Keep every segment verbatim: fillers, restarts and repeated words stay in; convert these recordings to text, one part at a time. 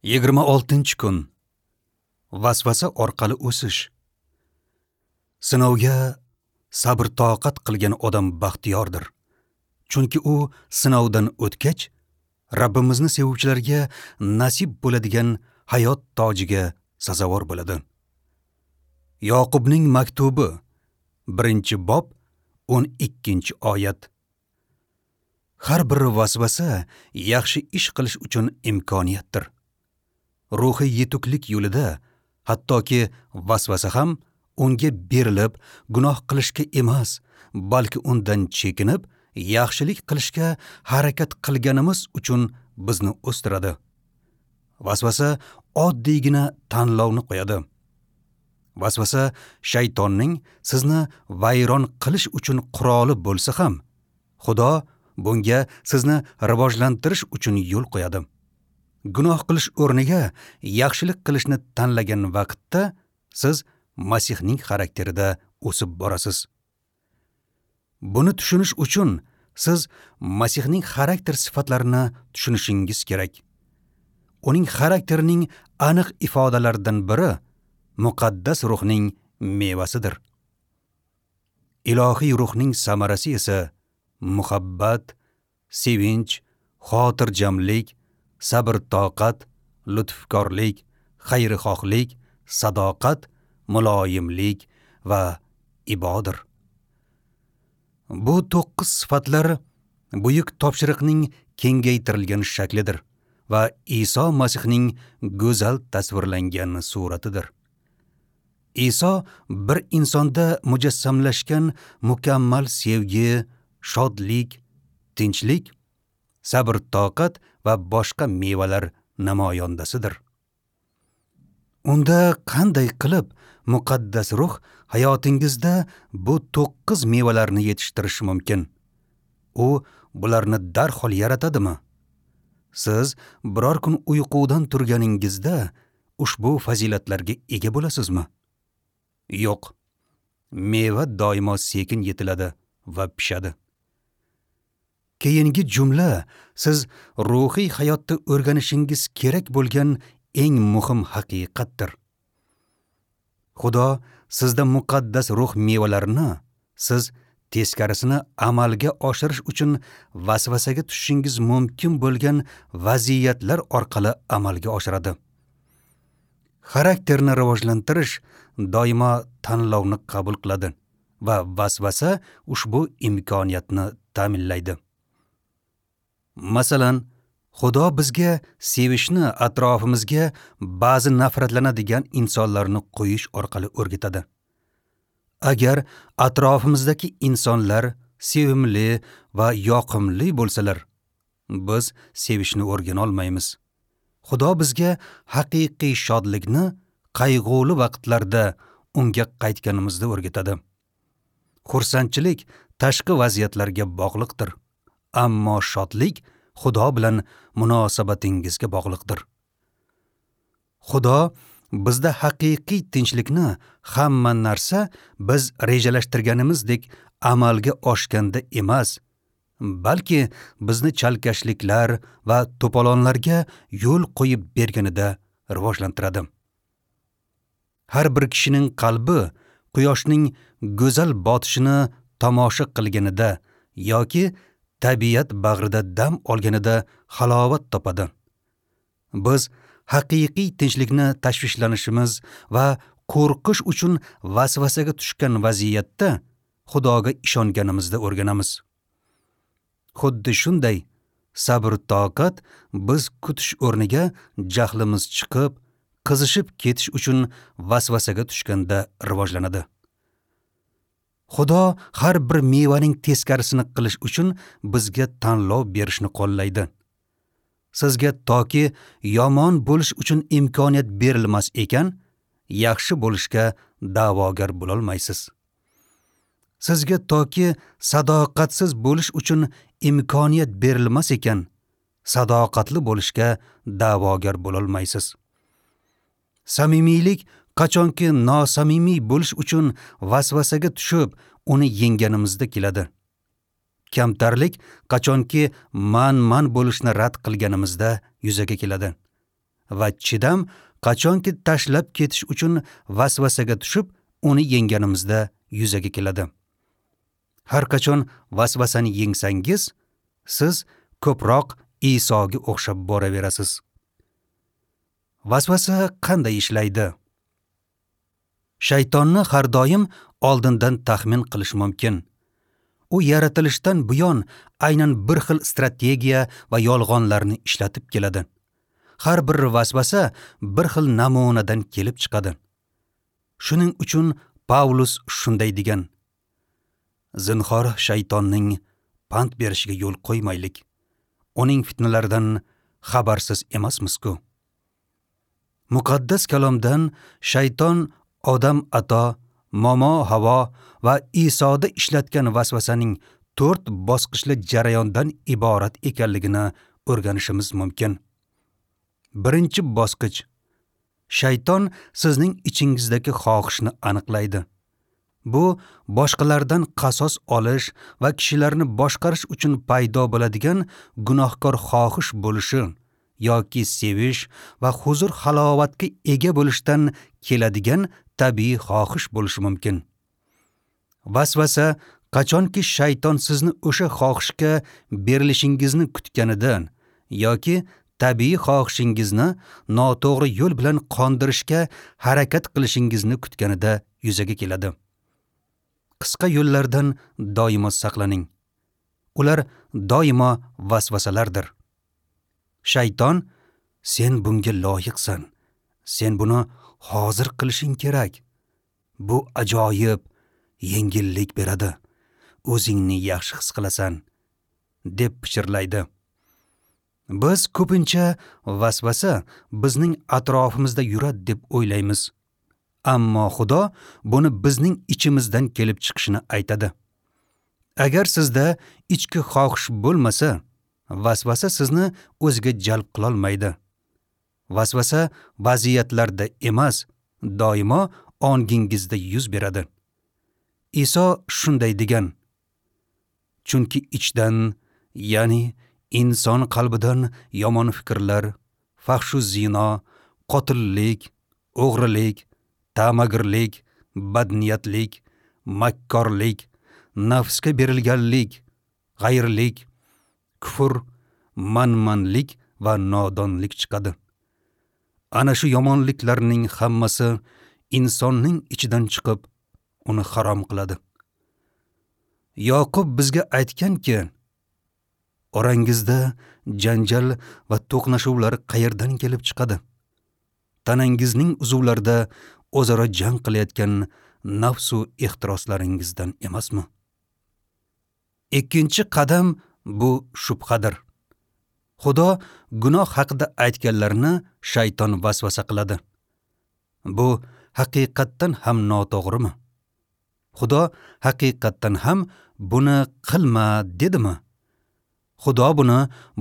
Yigirma oltinchi kun. Vasvasa orqali o'sish. Sinovga sabr-toqat qilgan odam baxtiyordir. Chunki u sinovdan o'tgach, Rabbimizni sevuvchilarga nasib bo'ladigan hayot tojiga sazovor bo'ladi. Yoqubning maktubi, birinchi bob, o'n ikkinchi oyat. Har bir vasvasa yaxshi ish qilish uchun imkoniyatdir. Ruhiy yetuklik yo'lida hattoki vasvasa ham unga berilib gunoh qilishga emas, balki undan chekinib yaxshilik qilishga harakat qilganimiz uchun bizni o'stiradi. Vasvasa oddiygina tanlovni qo'yadi. Vasvasa shaytonning sizni vayron qilish uchun quroli bo'lsa ham, Xudo bunga sizni rivojlantirish uchun yo'l qo'yadi. Gunoh qilish o'rniga yaxshilik qilishni tanlagan vaqtda siz Masihning xarakterida o'sib borasiz. Buni tushunish uchun siz Masihning xarakter sifatlarini tushunishingiz kerak. Uning xarakterining aniq ifodalaridan biri muqaddas ruhning mevasidir. Ilohiy ruhning samarasi esa muhabbat, sevinch, xotirjamlik, sabr-toqat, lutfkorlik, xayrixohlik, sadoqat, muloyimlik va ibodir. Bu to'qqiz sifatlar buyuk topshiriqning kengaytirilgan shaklidir va Iso Masihning go'zal tasvirlangan suratidir. Iso bir insonda mujassamlashgan mukammal sevgi, shodlik, tinchlik, sabr-toqat va boshqa mevalar namoyondasidir. Unda qanday qilib muqaddas ruh hayotingizda bu to'qqiz mevalarni yetishtirishi mumkin? U bularni darhol yaratadimi? Siz biror kun uyqudan turganingizda ushbu fazilatlarga ega bo'lasizmi? Yo'q. Meva doimo sekin yetiladi va pishadi. Keyingi jumla siz ruhiy hayotda o'rganishingiz kerak bo'lgan eng muhim haqiqatdir. Xudo sizda muqaddas ruh mevalarini siz teskarisini amalga oshirish uchun vasvasaga tushishingiz mumkin bo'lgan vaziyatlar orqali amalga oshiradi. Xarakterni rivojlantirish doimo tanlovni qabul qiladi va vasvasa ushbu imkoniyatni ta'minlaydi. Masalan, Xudo bizga sevishni atrofimizga ba'zi nafratlanadigan insonlarni qo'yish orqali o'rgatadi. Agar atrofimizdagi insonlar sevimli va yoqimli bo'lsalar, biz sevishni o'rgana olmaymiz. Xudo bizga haqiqiy shodlikni qayg'uli vaqtlarda unga qaytganimizda o'rgatadi. Xursandchilik tashqi vaziyatlarga bog'liqdir, ammo shodlik Xudo bilan munosabatingizga bog'liqdir. Xudo bizda haqiqiy tinchlikni hamma narsa biz rejalashtirganimizdek amalga oshganda emas, balki bizni chalkashliklar va to'polonlarga yo'l qo'yib berganida rivojlantiradi. Har bir kishining qalbi quyoshning go'zal botishini tomosha qilganida yoki tabiat bag'rida dam olganida halovat topadi. Biz haqiqiy tinchlikni tashvishlanishimiz va qo'rqish uchun vasvasaga tushgan vaziyatda Xudoga ishonganimizda o'rganamiz. Xuddi shunday sabr-toqat biz kutish o'rniga jahlimiz chiqib, qizishib ketish uchun vasvasaga tushganda rivojlanadi. Xudo har bir mevaning teskarisini qilish uchun bizga tanlov berishni qo'llaydi. Sizga toki yomon bo'lish uchun imkoniyat berilmas ekan, yaxshi bo'lishga da'vogar bo'lolmaysiz. Sizga toki sadoqatsiz bo'lish uchun imkoniyat berilmas ekan, sadoqatli bo'lishga da'vogar bo'lolmaysiz. Samimiylik qachonki nosamimiy bo'lish uchun vasvasaga tushib, uni yengganimizda keladi. Kamtarlik qachonki man-man bo'lishni rad qilganimizda yuzaga keladi. va chidam qachonki tashlab ketish uchun vasvasaga tushib, uni yengganimizda yuzaga keladi. Har qachon vasvasani yengsangiz, siz ko'proq Isoga o'xshab boraverasiz. Vasvasa qanday ishlaydi? Shaytonni har doim oldindan taxmin qilish mumkin. U yaratilishdan buyon aynan bir xil strategiya va yolg'onlarni ishlatib keladi. Har bir vasvasa bir xil namunadan kelib chiqadi. Shuning uchun Pavlus shunday degan: Zinhor shaytonning pand berishiga yo'l qo'ymaylik. Uning fitnalaridan xabarsiz emasmiz-ku. Muqaddas kalomdan shayton Odam ato, Momo Havo va Isoda ishlatgan vasvasaning to'rt bosqichli jarayondan iborat ekanligini o'rganishimiz mumkin. Birinchi bosqich: shayton sizning ichingizdagi xohishni aniqlaydi. Bu boshqalardan qasos olish va kishilarni boshqarish uchun paydo bo'ladigan gunohkor xohish bo'lishi yoki sevish va huzur halovatga ega bo'lishdan keladigan tabiiy xohish bo'lishi mumkin. Vasvasa qachonki shayton sizni o'sha xohishga berilishingizni kutganidan yoki tabiiy xohishingizni noto'g'ri yo'l bilan qondirishga harakat qilishingizni kutganida yuzaga keladi. Qisqa yo'llardan doimo saqlaning. Ular doimo vasvasalardir. Shayton: sen bunga loyiqsan. Sen buni hozir qilishing kerak. Bu ajoyib yengillik beradi. O'zingni yaxshi his qilasan, deb pichirlaydi. Biz ko'pincha vasvasa bizning atrofimizda yuradi deb o'ylaymiz. Ammo Xudo buni bizning ichimizdan kelib chiqishini aytadi. Agar sizda ichki xohish bo'lmasa, vasvasa sizni o'ziga jalb qila olmaydi. Vasvasa vaziyatlarda emas, doimo ongingizda yuz beradi. Iso shunday degan: Chunki ichdan, ya'ni inson qalbidan yomon fikrlar, fahshu zino, qotillik, o'g'rilik, ta'magirlik, badniyatlik, makkorlik, nafsga berilganlik, g'ayrlik, kufr, manmanlik va nodonlik chiqadi. Ana shu yomonliklarning hammasi insonning ichidan chiqib, uni harom qiladi. Yoqub bizga aytganki, orangizda janjal va to'qnashuvlar qayerdan kelib chiqadi? Tanangizning uzvlarida o'zaro jang qilayotgan nafsu ehtiroslaringizdan emasmi? Ikkinchi qadam bu shubhadir. Xudo gunoh haqida aytganlarini shayton vasvasa qiladi. Bu haqiqatdan ham noto'g'rimi? Xudo haqiqatdan ham buni qilma dedimi? Xudo buni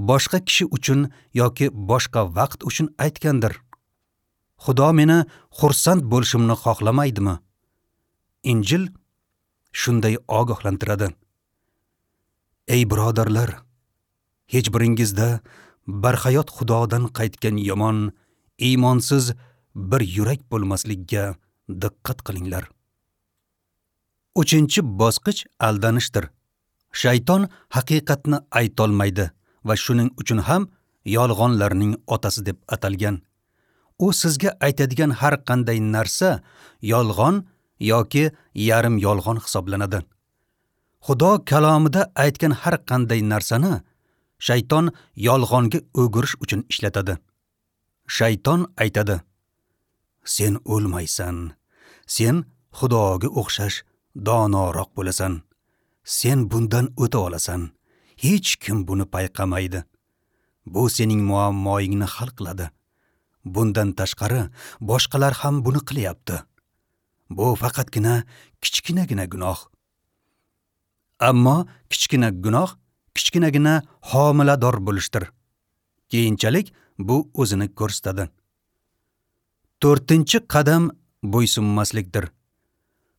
boshqa kishi uchun yoki boshqa vaqt uchun aytgandir. Xudo meni xursand bo'lishimni xohlamaydimi? Injil shunday ogohlantiradi. Ey birodarlar, hech biringizda barhayot Xudodan qaytgan yomon, iymonsiz bir yurak bo'lmasligiga diqqat qilinglar. Uchinchi bosqich aldanishdir. Shayton haqiqatni aytolmaydi va shuning uchun ham yolg'onlarning otasi deb atalgan. U sizga aytadigan har qanday narsa yolg'on yoki yarim yolg'on hisoblanadi. Xudo kalomida aytgan har qanday narsani shayton yolg'onga o'girish uchun ishlatadi. Shayton aytadi: sen o'lmaysan, sen Xudoga o'xshash donoroq bo'lasan, sen bundan o'ta olasan, hech kim buni payqamaydi. Bu sening muammoingni hal qiladi. Bundan tashqari boshqalar ham buni qilyapti. Bu faqatgina kichkinagina gunoh. Ammo kichkina gunoh kichkinagina homilador bo'lishdir. Keyinchalik bu o'zini ko'rsatadi. To'rtinchi qadam bo'ysunmaslikdir.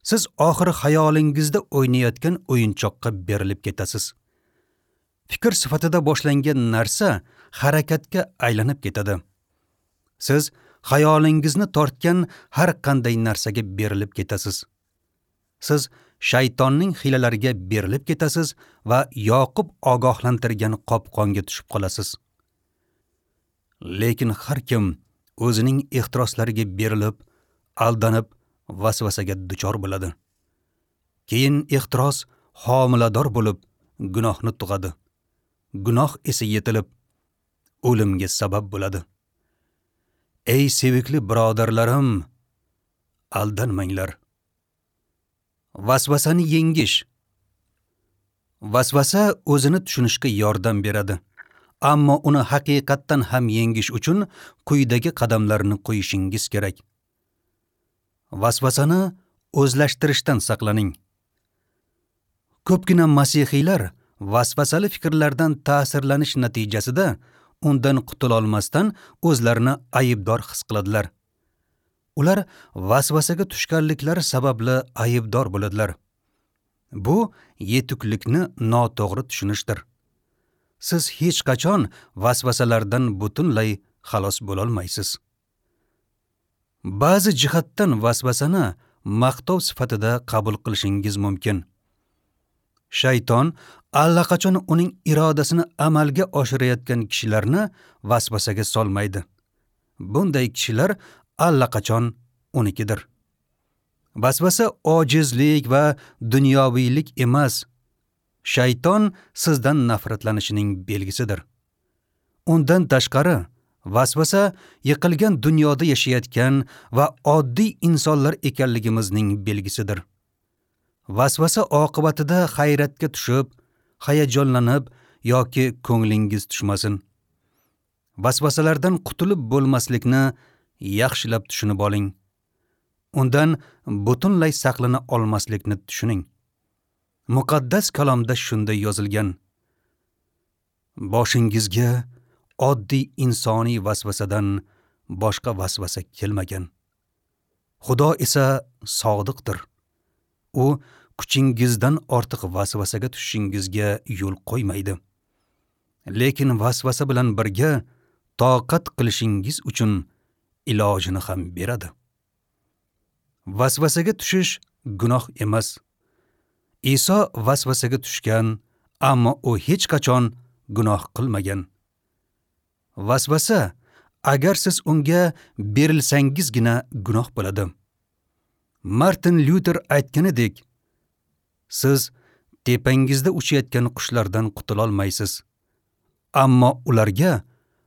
Siz oxiri xayolingizda o'ynayotgan o'yinchoqqa berilib ketasiz. Fikr sifatida boshlangan narsa harakatga aylanib ketadi. Siz xayolingizni tortgan har qanday narsaga berilib ketasiz. Siz shaytonning hiylalariga berilib ketasiz va Yoqub ogohlantirgan qopqonga tushib qolasiz. Lekin har kim o'zining ehtiroslariga berilib, aldanib, vasvasaga duchor bo'ladi. Keyin ehtiros homilador bo'lib, gunohni tug'adi. Gunoh esa yetilib, o'limga sabab bo'ladi. Ey sevikli birodarlarim, aldanmanglar. Vasvasani yengish. Vasvasa o'zini tushunishga yordam beradi. Ammo uni haqiqatdan ham yengish uchun quyidagi qadamlarni qo'yishingiz kerak. Vasvasani o'zlashtirishdan saqlaning. Ko'pgina masihiylar vasvasali fikrlardan ta'sirlanish natijasida undan qutula olmasdan o'zlarini aybdor his qiladilar. Ular vasvasaga tushganliklari sababli aybdor bo'ladilar. Bu yetuklikni noto'g'ri tushunishdir. Siz hech qachon vasvasalardan butunlay xalos bo'la olmaysiz. Ba'zi jihatdan vasvasani maqtov sifatida qabul qilishingiz mumkin. Shayton allaqachon uning irodasini amalga oshirayotgan kishilarni vasvasaga solmaydi. Bunday kishilar allaqachon unikidir. Vasvasa ojizlik va dunyoviylik emas. Shayton sizdan nafratlanishining belgisidir. Undan tashqari, vasvasa yiqilgan dunyoda yashayotgan va oddiy insonlar ekanligimizning belgisidir. Vasvasa oqibatida hayratga tushib, hayajonlanib yoki ko'nglingiz tushmasin. Vasvasalardan qutulib bo'lmaslikni yaxshilab tushunib oling. Undan butunlay saqlana olmaslikni tushuning. Muqaddas kalomda shunday yozilgan: Boshingizga oddiy insoniy vasvasadan boshqa vasvasa kelmagan. Xudo esa sodiqdir. U kuchingizdan ortiq vasvasaga tushishingizga yo'l qo'ymaydi. Lekin vasvasa bilan birga toqat qilishingiz uchun ilojini ham beradi. Vasvasaga tushish gunoh emas. Iso vasvasaga tushgan, ammo u hech qachon gunoh qilmagan. Vasvasa, agar siz unga berilsangizgina gunoh bo'ladi. Martin Lyuter aytganidek, siz tepangizda uchayotgan qushlardan qutula olmaysiz, ammo ularga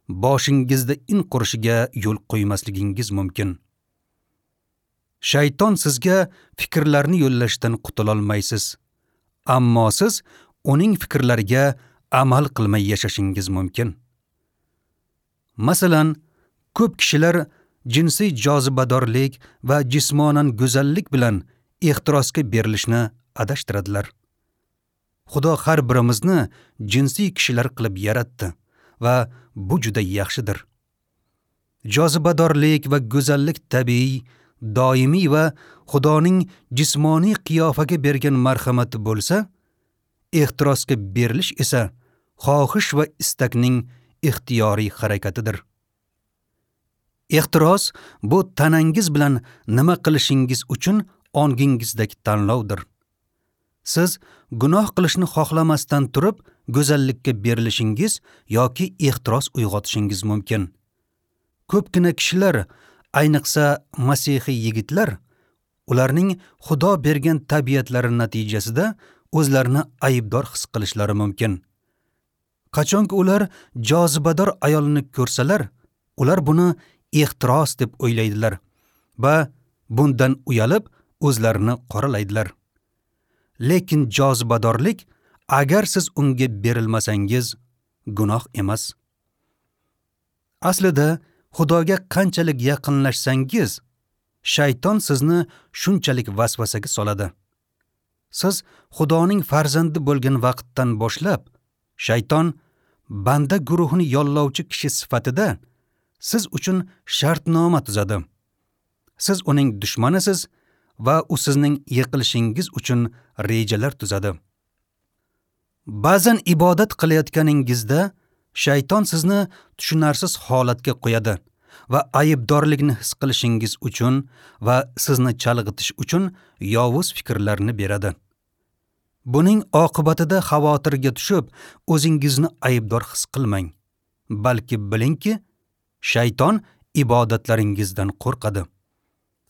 boshingizda in qurishiga yo'l qo'ymasligingiz mumkin. Shayton sizga fikrlarni yo'llashdan qutula olmaysiz, ammo siz uning fikrlariga amal qilmay yashashingiz mumkin. Masalan, ko'p kishilar jinsiy jozibadorlik va jismonan go'zallik bilan ehtirosga berilishni adashtiradilar. Xudo har birimizni jinsiy kishilar qilib yaratdi va bu juda yaxshidir. Jozibadorlik va go'zallik tabiiy, doimiy va Xudoning jismoniy qiyofaga bergan marhamati bo'lsa, ehtirosga berilish esa xohish va istakning ixtiyoriy harakatidir. Ehtiros bu tanangiz bilan nima qilishingiz uchun ongingizdagi tanlovdir. Siz gunoh qilishni xohlamasdan turib go'zallikka berilishingiz yoki ehtiros uyg'otishingiz mumkin. Ko'pgina kishilar, ayniqsa masihiy yigitlar, ularning Xudo bergan tabiatlari natijasida o'zlarini aybdor his qilishlari mumkin. Qachonki ular jozibador ayolni ko'rsalar, ular buni ehtiros deb o'ylaydilar va bundan uyalib o'zlarini qoralaydilar. Lekin jozibadorlik, agar siz unga berilmasangiz, gunoh emas. Aslida Xudoga qanchalik yaqinlashsangiz, shayton sizni shunchalik vasvasaga soladi. Siz Xudoning farzandi bo'lgan vaqtdan boshlab, shayton banda guruhini yollovchi kishi sifatida siz uchun shartnoma tuzadi. Siz uning dushmanisiz va u sizning yiqilishingiz uchun rejalar tuzadi. Ba'zan ibodat qilayotganingizda shayton sizni tushunarsiz holatga qo'yadi va aybdorlikni his qilishingiz uchun va sizni chalg'itish uchun yovuz fikrlarni beradi. Buning oqibatida xavotirga tushib, o'zingizni aybdor his qilmang, balki bilingki, shayton ibodatlaringizdan qo'rqadi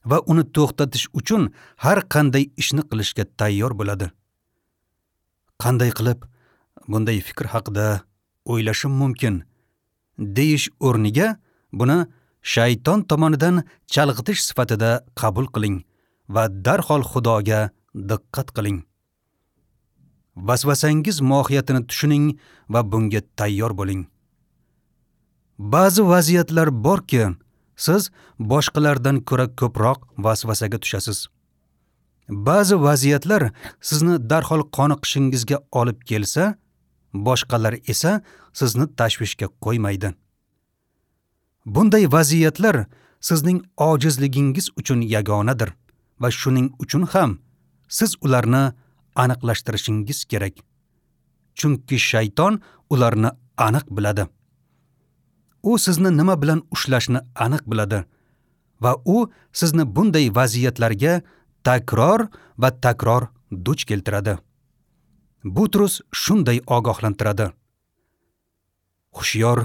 va uni to'xtatish uchun har qanday ishni qilishga tayyor bo'ladi. Qanday qilib bunday fikr haqida o'ylashim mumkin deyish o'rniga buni shayton tomonidan chalg'itish sifatida qabul qiling va darhol Xudoga diqqat qiling. Vasvasangiz mohiyatini tushuning va bunga tayyor bo'ling. Ba'zi vaziyatlar borki, siz boshqalardan ko'ra ko'proq vasvasaga tushasiz. Ba'zi vaziyatlar sizni darhol qoniqishingizga olib kelsa, boshqalar esa sizni tashvishga qo'ymaydi. Bunday vaziyatlar sizning ojizligingiz uchun yagonadir va shuning uchun ham siz ularni aniqlashtirishingiz kerak. Chunki shayton ularni aniq biladi. U sizni nima bilan ushlashni aniq biladi va u sizni bunday vaziyatlarga takror va takror duch keltiradi. Butrus shunday ogohlantiradi: Hushyor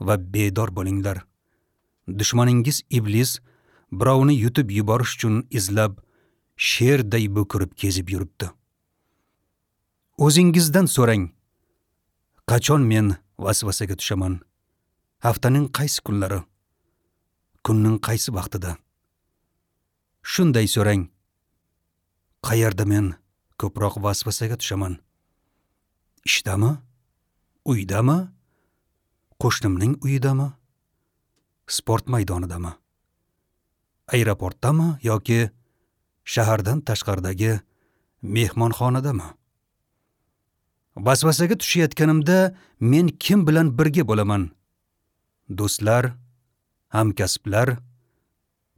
va bedor bo'linglar. Dushmaningiz iblis birovni yutib yuborish uchun izlab, sherday bo'kirib kezib yuribdi. O'zingizdan so'rang: qachon men vasvasaga tushaman? Haftaning qaysi kunlari? Kunning qaysi vaqtida? Shunday so'rang: qayerda men ko'proq vasvasaga tushaman? Ishdami? Uydami? Qo'shnimning uyidami? Sport maydonidami? Aeroportdami yoki shahardan tashqaridagi mehmonxonadami? Vasvasaga tushayotganimda men kim bilan birga bo'laman? Do'stlar, hamkasblar,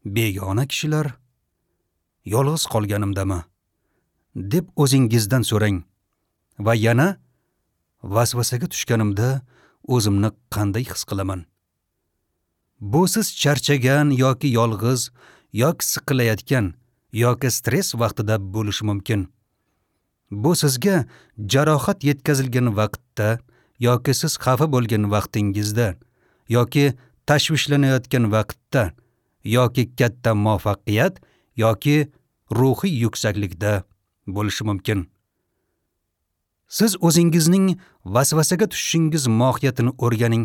begona kishilar, yolg'iz qolganimdami? Deb o'zingizdan so'rang va yana vasvasaga tushganimda o'zimni qanday his qilaman? Bu siz charchagan yoki yolg'iz yoki siqilayotgan yoki stress vaqtida bo'lishi mumkin. Bu sizga jarohat yetkazilgan vaqtda yoki siz xafa bo'lgan vaqtingizda yoki tashvishlanayotgan vaqtda yoki katta muvaffaqiyat yoki ruhiy yuksaklikda bo'lishi mumkin. Siz o'zingizning vasvasaga tushishingiz mohiyatini o'rganing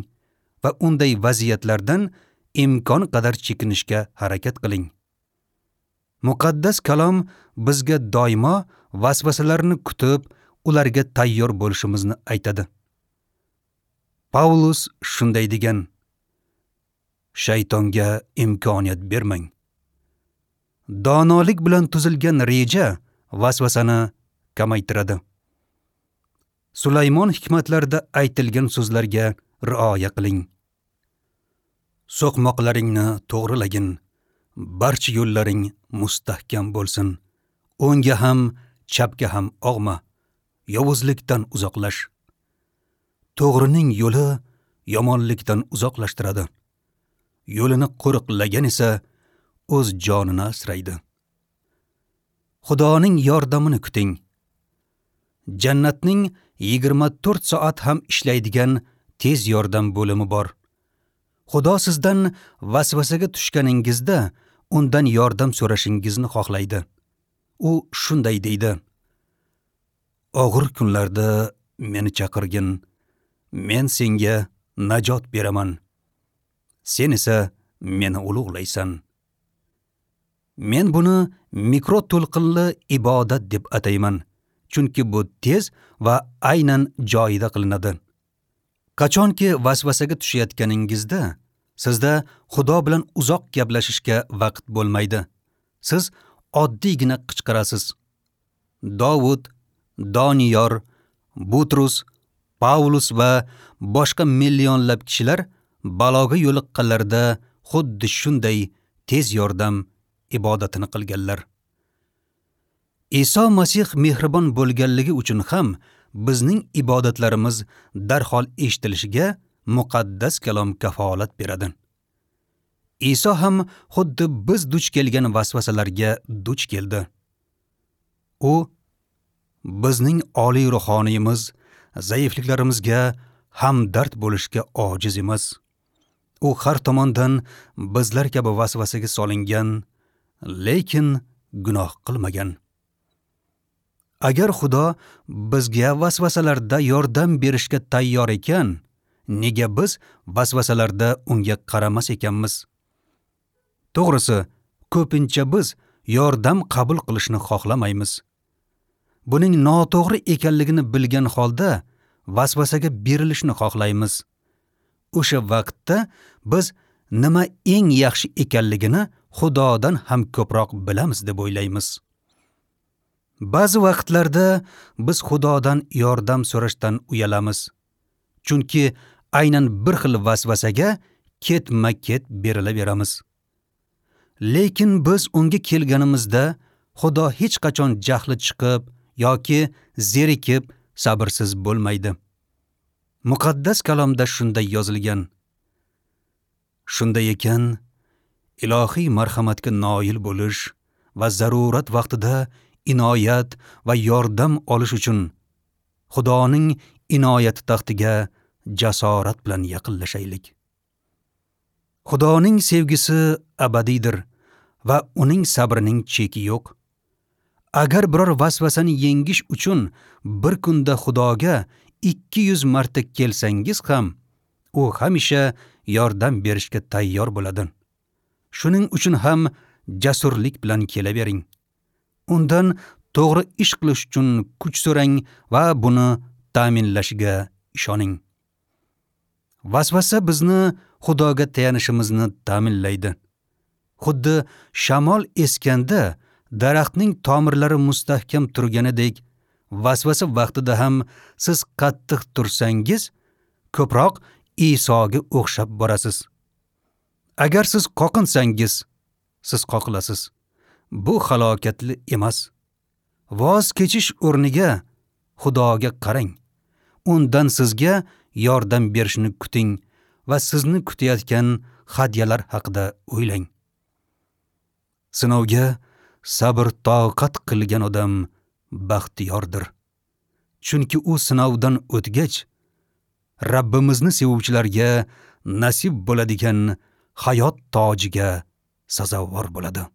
va unday vaziyatlardan imkon qadar chekinishga harakat qiling. Muqaddas kalom bizga doimo vasvasalarni kutib, ularga tayyor bo'lishimizni aytadi. Paulus shunday degan: Shaytonga imkoniyat bermang. Donolik bilan tuzilgan reja vasvasani kamaytiradi. Sulaymon hikmatlarida aytilgan so'zlarga rioya qiling. So'qmoqlaringni to'g'rilagin, barcha yo'llaring mustahkam bo'lsin. O'ngga ham, chapga ham og'ma, yovuzlikdan uzoqlash. To'g'rining yo'li yomonlikdan uzoqlashtiradi. Yo'lini qo'riqlagan esa o'z jonini asraydi. Xudoning yordamini kuting. Jannatning yigirma to'rt soat ham ishlaydigan tez yordam bo'limi bor. Xudo sizdan vasvasaga tushganingizda undan yordam so'rashingizni xohlaydi. U shunday deydi: Og'ir kunlarda meni chaqirgin, men senga najot beraman. Sen esa meni ulug'laysan. Men buni mikroto'lqinli ibodat deb atayman, chunki bu tez va aynan joyida qilinadi. Qachonki vasvasaga tushayotganingizda sizda Xudo bilan uzoq gaplashishga vaqt bo'lmaydi. Siz oddiygina qichqirasiz. Dovud, Doniyor, Butrus, Paulus va boshqa millionlab kishilar baloga yo'liqqanlarida xuddi shunday tez yordam ibodatini qilganlar. Iso Masih mehribon bo'lganligi uchun ham bizning ibodatlarimiz darhol eshitilishiga muqaddas kalom kafolat beradi. Iso ham xuddi biz duch kelgan vasvasalarga duch keldi. U bizning oliy ruhoniyimiz zaifliklarimizga hamdard bo'lishga ojiz emas. U har tomondan bizlar kabi vasvasaga solingan, lekin gunoh qilmagan. Agar Xudo bizga vasvasalarda yordam berishga tayyor ekan, nega biz vasvasalarda unga qaramas ekanmiz? To'g'risi, ko'pincha biz yordam qabul qilishni xohlamaymiz. Buning noto'g'ri ekanligini bilgan holda vasvasaga berilishni xohlaymiz. O'sha vaqtda biz nima eng yaxshi ekanligini Xudodan ham ko'proq bilamiz deb o'ylaymiz. Ba'zi vaqtlarda biz Xudodan yordam so'rashdan uyalamiz. Chunki aynan bir xil vasvasaga ketma-ket berilaveramiz. Lekin biz unga kelganimizda Xudo hech qachon jahli chiqib yoki zerikib sabrsiz bo'lmaydi. Muqaddas kalomda shunday yozilgan. Shunday ekan, ilohiy marhamatga noil bo'lish va zarurat vaqtida inoyat va yordam olish uchun Xudoning inoyati taxtiga jasorat bilan yaqinlashaylik. Xudoning sevgisi abadiydir va uning sabrining cheki yo'q. Agar biror vasvasani yengish uchun bir kunda Xudoga ikki yuz marta kelsangiz ham, u hamisha yordam berishga tayyor bo'ladi. Shuning uchun ham jasurlik bilan kelavering. Undan to'g'ri ish qilish uchun kuch so'rang va buni ta'minlashiga ishoning. Vasvasa bizni Xudoga tayanishimizni ta'minlaydi. Xuddi shamol eskanda daraxtning tomirlari mustahkam turganidek, vasvasa vaqtida ham siz qattiq tursangiz, ko'proq Isoga o'xshab borasiz. Agar siz qoqinsangiz, siz qoqilasiz. Bu halokatli emas. Voz kechish o'rniga Xudoga qarang. Undan sizga yordam berishini kuting va sizni kutayotgan hadyalar haqida o'ylang. Sinovga sabr toqat qilgan odam baxtiyordir. Chunki u sinovdan o'tgach, Rabbimizni sevuvchilarga nasib bo'ladigan hayot tojiga sazovor bo'ladi.